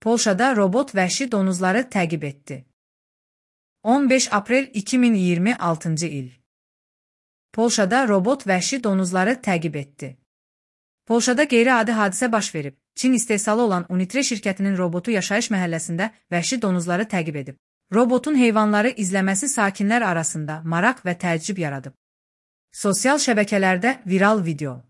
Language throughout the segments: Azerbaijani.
Polşada robot vəhşi donuzları təqib etdi. 15 aprel 2026 il. Polşada robot vəhşi donuzları təqib etdi. Polşada qeyri-adi hadisə baş verib. Çin istehsalı olan Unitre şirkətinin robotu yaşayış məhəlləsində vəhşi donuzları təqib edib. Robotun heyvanları izləməsi sakinlər arasında maraq və təəccüb yaradıb. Sosial şəbəkələrdə viral video.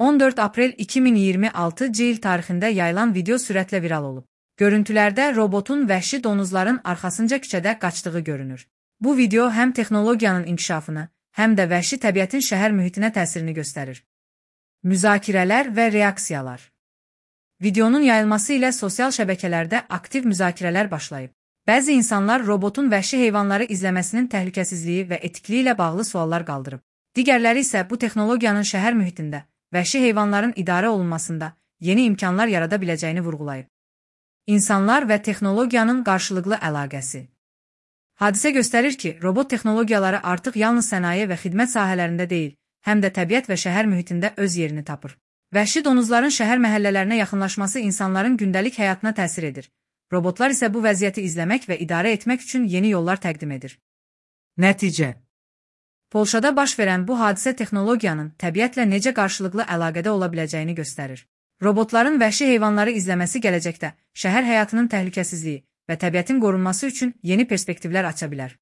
14 aprel 2026 il tarixində yayılan video sürətlə viral olub. Görüntülərdə robotun vəhşi donuzların arxasınca küçədə qaçdığı görünür. Bu video həm texnologiyanın inkişafını, həm də vəhşi təbiətin şəhər mühitinə təsirini göstərir. Müzakirələr və reaksiyalar. Videonun yayılması ilə sosial şəbəkələrdə aktiv müzakirələr başlayıb. Bəzi insanlar robotun vəhşi heyvanları izləməsinin təhlükəsizliyi və etikliyi ilə bağlı suallar qaldırıb. Digərləri isə bu texnologiyanın şəhər mühitində vəhşi heyvanların idarə olunmasında yeni imkanlar yarada biləcəyini vurğulayıb. İnsanlar və texnologiyanın qarşılıqlı əlaqəsi. Hadisə göstərir ki, robot texnologiyaları artıq yalnız sənaye və xidmət sahələrində deyil, həm də təbiət və şəhər mühitində öz yerini tapır. Vəhşi donuzların şəhər məhəllələrinə yaxınlaşması insanların gündəlik həyatına təsir edir. Robotlar isə bu vəziyyəti izləmək və idarə etmək üçün yeni yollar təqdim edir. Nəticə. Polşada baş verən bu hadisə texnologiyanın təbiətlə necə qarşılıqlı əlaqədə ola biləcəyini göstərir. Robotların vəhşi heyvanları izləməsi gələcəkdə şəhər həyatının təhlükəsizliyi və təbiətin qorunması üçün yeni perspektivlər aça bilər.